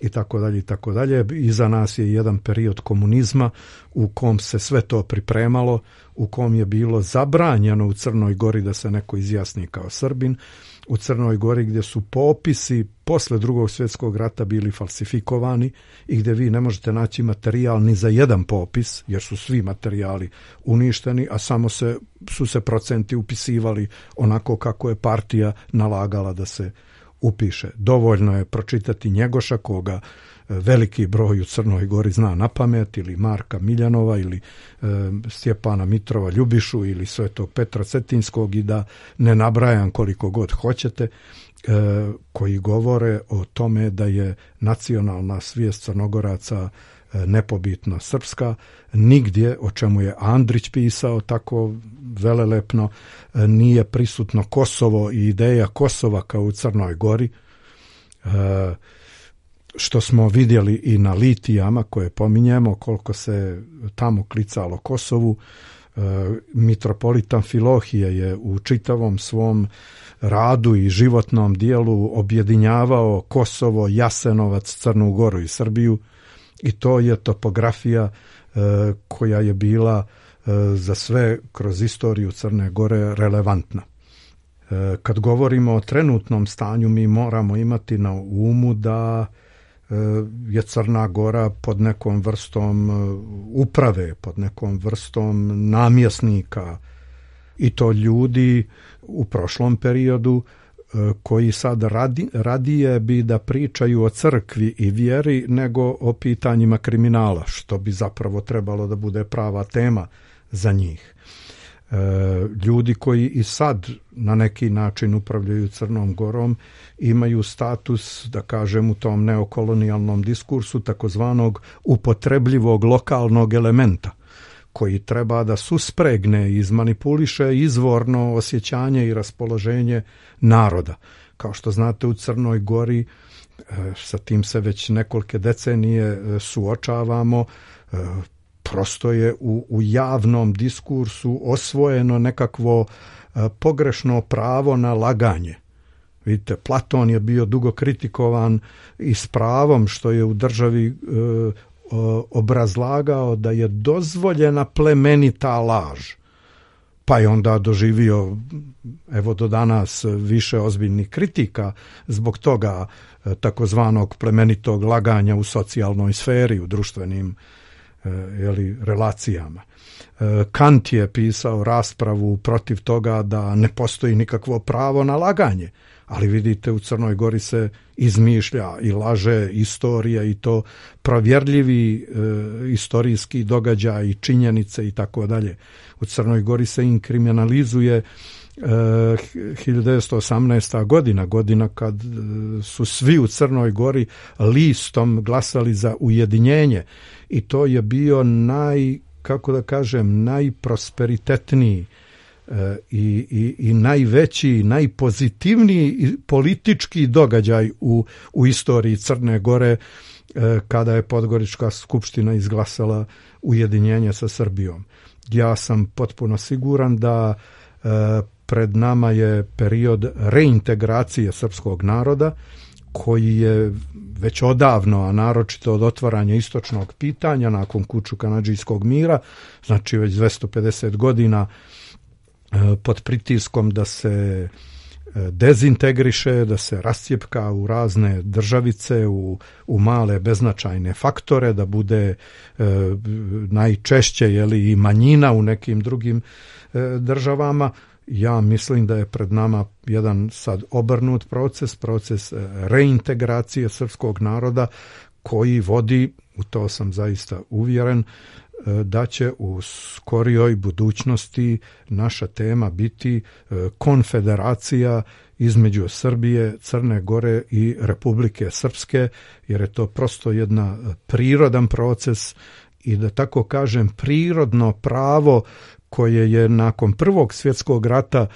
i tako dalje i tako dalje. Iza nas je jedan period komunizma u kom se sve to pripremalo, u kom je bilo zabranjeno u Crnoj Gori da se neko izjasni kao Srbin, u Crnoj Gori gdje su popisi posle Drugog svjetskog rata bili falsifikovani i gdje vi ne možete naći materijal ni za jedan popis, jer su svi materijali uništeni, a samo se, su se procenti upisivali onako kako je partija nalagala da se upiše. Dovoljno je pročitati Njegoša, koga veliki broj u Crnoj Gori zna na pamet, ili Marka Miljanova, ili e, Stjepana Mitrova Ljubišu, ili Svetog Petra Cetinskog, i da ne nabrajam koliko god hoćete, e, koji govore o tome da je nacionalna svijest Crnogoraca e, nepobitno srpska. Nigdje, o čemu je Andrić pisao tako velelepno, e, nije prisutno Kosovo i ideja Kosova kao u Crnoj Gori, e, što smo vidjeli i na litijama koje pominjemo, koliko se tamo klicalo Kosovu. E, mitropolitan Filohije je u čitavom svom radu i životnom dijelu objedinjavao Kosovo, Jasenovac, Crnu Goru i Srbiju, i to je topografija e, koja je bila e, za sve kroz istoriju Crne Gore relevantna. E, kad govorimo o trenutnom stanju, mi moramo imati na umu da je Crna Gora pod nekom vrstom uprave, pod nekom vrstom namjesnika, i to ljudi u prošlom periodu koji sad radi, radije bi da pričaju o crkvi i vjeri nego o pitanjima kriminala, što bi zapravo trebalo da bude prava tema za njih. E, ljudi koji i sad na neki način upravljaju Crnom Gorom imaju status, da kažem, u tom neokolonijalnom diskursu takozvanog upotrebljivog lokalnog elementa, koji treba da suspregne i izmanipuliše izvorno osjećanje i raspoloženje naroda. Kao što znate, u Crnoj Gori e, sa tim se već nekolike decenije suočavamo. e, Prosto je u, u javnom diskursu osvojeno nekakvo e, pogrešno pravo na laganje. Vidite, Platon je bio dugo kritikovan i s pravom što je u državi e, o, obrazlagao da je dozvoljena plemenita laž. Pa je onda doživio, evo do danas, više ozbiljnih kritika zbog toga e, takozvanog plemenitog laganja u socijalnoj sferi, u društvenim jeli, relacijama. Kant je pisao raspravu protiv toga da ne postoji nikakvo pravo na laganje, ali vidite, u Crnoj Gori se izmišlja i laže istorija, i to provjerljivi e, istorijski događaj i činjenice i tako dalje. U Crnoj Gori se inkriminalizuje hiljadu devetsto osamnaesta. godina, godina kad su svi u Crnoj Gori listom glasali za ujedinjenje, i to je bio naj, kako da kažem, najprosperitetniji e, i, i, i najveći, najpozitivniji politički događaj u, u istoriji Crne Gore, e, kada je Podgorička skupština izglasala ujedinjenje sa Srbijom. ja sam potpuno siguran da e, pred nama je period reintegracije srpskog naroda koji je već odavno, a naročito od otvaranja istočnog pitanja nakon Kuču-Kanadžijskog mira, znači već dvjesto pedeset godina e, pod pritiskom da se dezintegriše, da se rascijepka u razne državice, u, u male beznačajne faktore, da bude e, najčešće jeli, i manjina u nekim drugim e, državama. Ja mislim da je pred nama jedan sad obrnut proces, proces reintegracije srpskog naroda koji vodi, u to sam zaista uvjeren, da će u skorijoj budućnosti naša tema biti konfederacija između Srbije, Crne Gore i Republike Srpske, jer je to prosto jedna prirodan proces i da tako kažem prirodno pravo koje je nakon Prvog svjetskog rata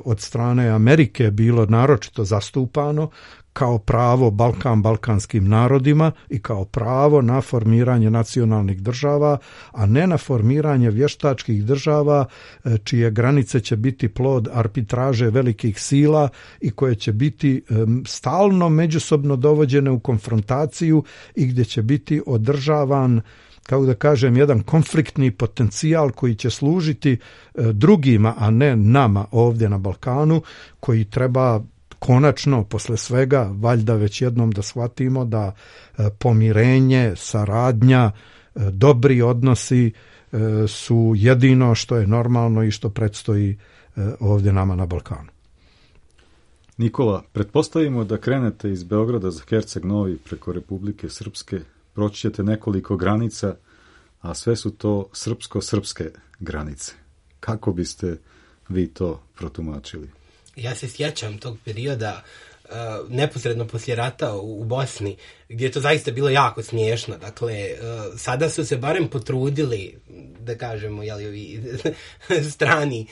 od strane Amerike bilo naročito zastupano kao pravo Balkan balkanskim narodima i kao pravo na formiranje nacionalnih država, a ne na formiranje vještačkih država čije granice će biti plod arbitraže velikih sila i koje će biti stalno međusobno dovođene u konfrontaciju i gdje će biti održavan, kako da kažem, jedan konfliktni potencijal koji će služiti drugima, a ne nama ovdje na Balkanu, koji treba konačno, posle svega, valjda već jednom da shvatimo da pomirenje, saradnja, dobri odnosi su jedino što je normalno i što predstoji ovdje nama na Balkanu. Nikola, pretpostavimo da krenete iz Beograda za Herceg Novi preko Republike Srpske, proći ćete nekoliko granica, a sve su to srpsko-srpske granice. Kako biste vi to protumačili? Ja se sjećam tog perioda uh, neposredno poslije rata u, u Bosni, gdje je to zaista bilo jako smiješno. Dakle, uh, sada su se barem potrudili, da kažemo, jeli, ovi strani,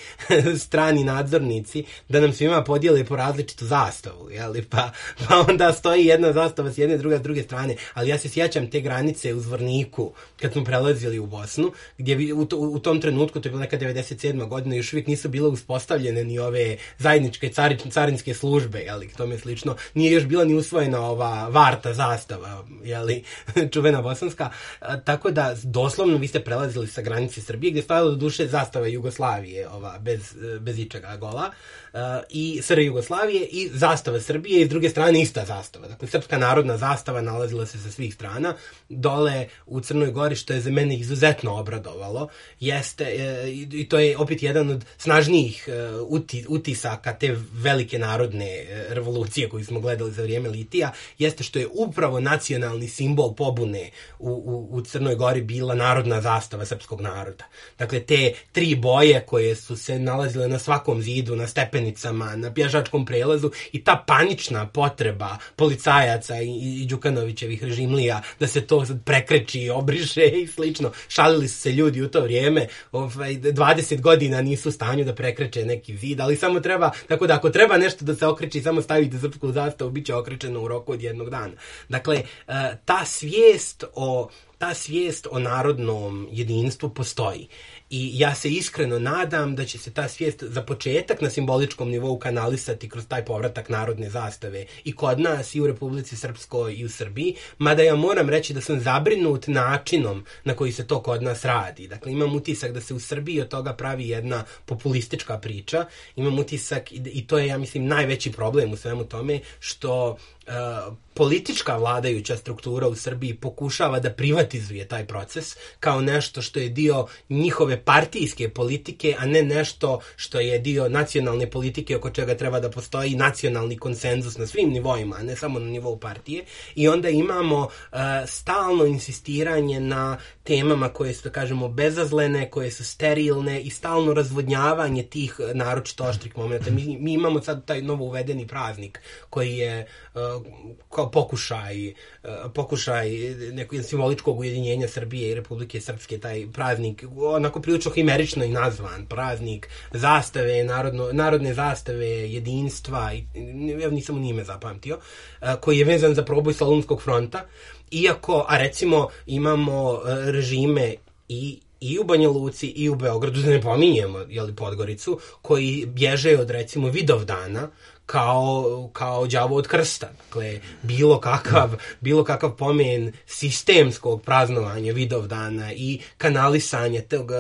strani nadzornici, da nam svima podijele po različitu zastavu, jeli, pa, pa onda stoji jedna zastava s jedne, druga s druge strane. Ali ja se sjećam te granice u Zvorniku, kad smo prelazili u Bosnu, gdje bi, u, to, u tom trenutku, to je bila neka devedeset sedma godina, još uvijek nisu bile uspostavljene ni ove zajedničke cari, carinske službe, jeli, tome slično. Nije još bila ni usvojena ova varta zastava, jeli, čuvena bosanska. A, tako da, doslovno, vi ste prelazili sa granice Srbije, gdje je stajala do duše zastava Jugoslavije, ova, bez, bez ičega gola, uh, i S R Jugoslavije i zastava Srbije i s druge strane ista zastava. Dakle, srpska narodna zastava nalazila se sa svih strana. Dole u Crnoj Gori, što je za mene izuzetno obradovalo, jeste, uh, i, i to je opet jedan od snažnijih uh, uti, utisaka te velike narodne uh, revolucije koju smo gledali za vrijeme litija, jeste što je upravo nacionalni simbol pobune u, u, u Crnoj Gori bila narodna zastava srpskog naroda. Dakle, te tri boje koje su se nalazile na svakom zidu, na stepenicama, na pješačkom prelazu i ta panična potreba policajaca i, i Đukanovićevih režimlija da se to prekreči, obriše i slično. Šalili su se ljudi u to vrijeme, ovaj, dvadeset godina nisu u stanju da prekreče neki zid, ali samo treba, tako da ako treba nešto da se okreći, samo stavite srpsku zastavu, bit će okrečeno u roku od jednog dana. Dakle, ta svijest o ta svijest o narodnom jedinstvu postoji. I ja se iskreno nadam da će se ta svijest za početak na simboličkom nivou kanalisati kroz taj povratak narodne zastave i kod nas i u Republici Srpskoj i u Srbiji, mada ja moram reći da sam zabrinut načinom na koji se to kod nas radi. Dakle, imam utisak da se u Srbiji od toga pravi jedna populistička priča, imam utisak i to je, ja mislim, najveći problem u svemu tome, što Uh, politička vladajuća struktura u Srbiji pokušava da privatizuje taj proces kao nešto što je dio njihove partijske politike, a ne nešto što je dio nacionalne politike oko čega treba da postoji nacionalni konsenzus na svim nivoima, a ne samo na nivou partije. I onda imamo uh, stalno insistiranje na temama koje su, da kažemo, bezazlene, koje su sterilne i stalno razvodnjavanje tih naročito oštrih momenta. Mi, mi imamo sad taj novo uvedeni praznik koji je uh, kao pokušaj, pokušaj nekog simboličkog ujedinjenja Srbije i Republike Srpske, taj praznik, onako prilično himerično i nazvan, praznik zastave, narodno, narodne zastave, jedinstva, ja nisam ni ime zapamtio, koji je vezan za proboj Solunskog fronta, iako, a recimo imamo režime i i u Banja Luci i u Beogradu, da ne pominjemo jeli, Podgoricu, koji bježe od recimo Vidovdana kao, kao đavo od krsta. Dakle, bilo kakav, bilo kakav pomen sistemskog praznovanja Vidovdana i kanalisanje tog,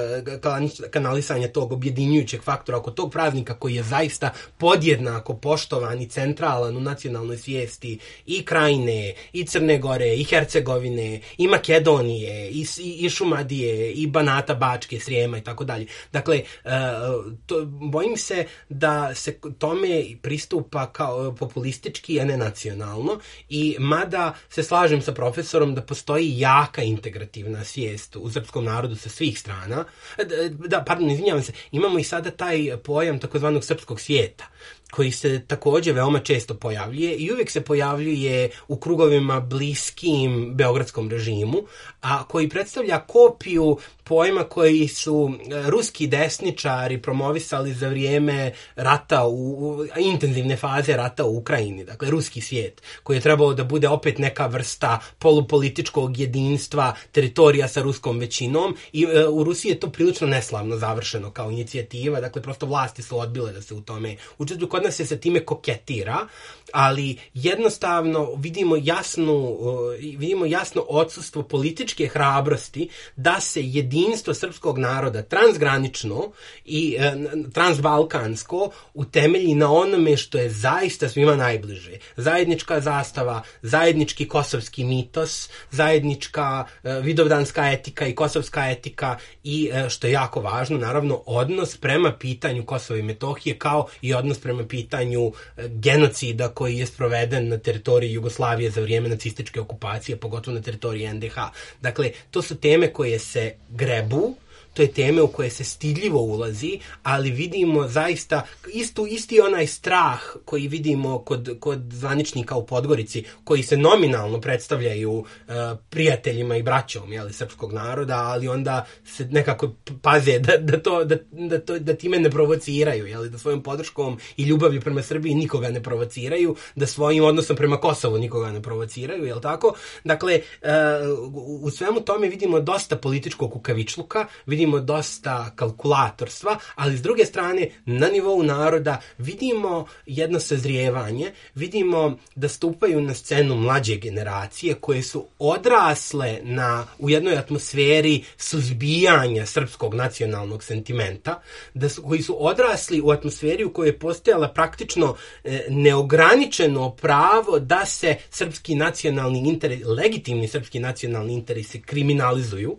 kanalisanje tog objedinjujućeg faktora oko tog praznika koji je zaista podjednako poštovan i centralan u nacionalnoj svijesti i Krajine, i Crne Gore, i Hercegovine, i Makedonije, i, i, i Šumadije, i Banata, Bačke, Srijema i tako dalje. Dakle, to, bojim se da se tome pristup pa kao populistički, a ne nacionalno, i mada se slažem sa profesorom da postoji jaka integrativna svijest u srpskom narodu sa svih strana, da, pardon, izvinjavam se, imamo i sada taj pojam takozvanog srpskog svijeta, koji se također veoma često pojavljuje i uvijek se pojavljuje u krugovima bliskim beogradskom režimu, a koji predstavlja kopiju pojma koji su ruski desničari promovisali za vrijeme rata, u, intenzivne faze rata u Ukrajini, dakle ruski svijet, koji je trebalo da bude opet neka vrsta polupolitičkog jedinstva teritorija sa ruskom većinom, i e, u Rusiji je to prilično neslavno završeno kao inicijativa, dakle prosto vlasti su odbile da se u tome učestvuju. Kod nas se sa time koketira, ali jednostavno vidimo jasnu, vidimo jasno odsustvo političke hrabrosti da se jedinstvo srpskog naroda transgranično i e, transbalkansko utemelji na onome što je zaista svima najbliže. Zajednička zastava, zajednički kosovski mitos, zajednička e, vidovdanska etika i kosovska etika i, e, što je jako važno, naravno, odnos prema pitanju Kosova i Metohije, kao i odnos prema pitanju e, genocida koji je sproveden na teritoriji Jugoslavije za vrijeme nacističke okupacije, pogotovo na teritoriji en de ha. Dakle, to su teme koje se grebu, to je teme u koje se stidljivo ulazi, ali vidimo zaista istu, isti onaj strah koji vidimo kod, kod zvaničnika u Podgorici, koji se nominalno predstavljaju uh, prijateljima i braćom, jeli, srpskog naroda, ali onda se nekako paze da, da, to, da, da, to, da time ne provociraju, jeli, da svojom podrškom i ljubavlju prema Srbiji nikoga ne provociraju, da svojim odnosom prema Kosovu nikoga ne provociraju, jel tako? Dakle, uh, u svemu tome vidimo dosta političkog kukavičluka, vidimo dosta kalkulatorstva, ali s druge strane na nivou naroda vidimo jedno sazrijevanje, vidimo da stupaju na scenu mlađe generacije koje su odrasle na, u jednoj atmosferi suzbijanja srpskog nacionalnog sentimenta, da su, koji su odrasli u atmosferi u kojoj je postojala praktično e, neograničeno pravo da se srpski nacionalni interes, legitimni srpski nacionalni interesi kriminalizuju.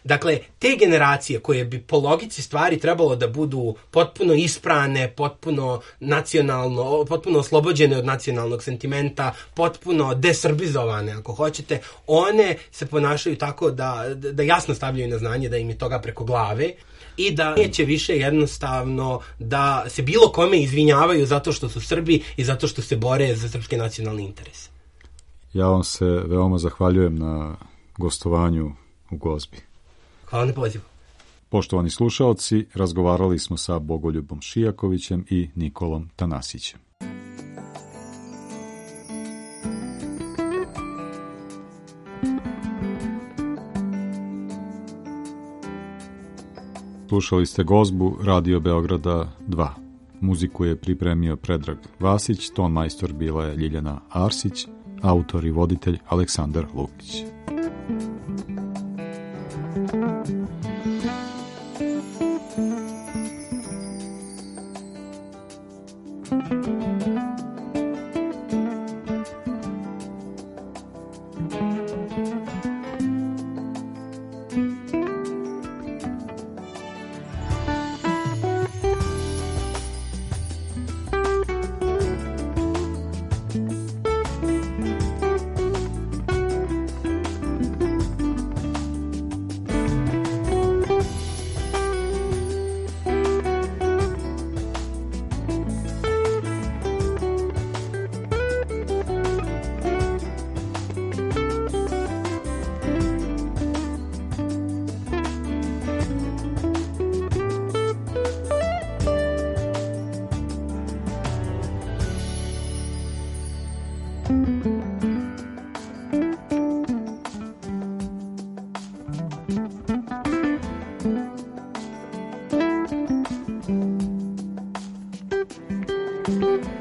Dakle, te generacije koje bi po logici stvari trebalo da budu potpuno isprane, potpuno nacionalno, potpuno oslobođene od nacionalnog sentimenta, potpuno desrbizovane, ako hoćete, one se ponašaju tako da, da jasno stavljaju na znanje da im je toga preko glave i da neće više jednostavno da se bilo kome izvinjavaju zato što su Srbi i zato što se bore za srpske nacionalne interese. Ja vam se veoma zahvaljujem na gostovanju u Gozbi. Hvala na pozivu. Poštovani slušaoci, razgovarali smo sa Bogoljubom Šijakovićem i Nikolom Tanasićem. Slušali ste Gozbu Radio Beograda dva. Muziku je pripremio Predrag Vasić, ton majstor bila je Ljiljana Arsić, autor i voditelj Aleksandar Lukić. Thank you.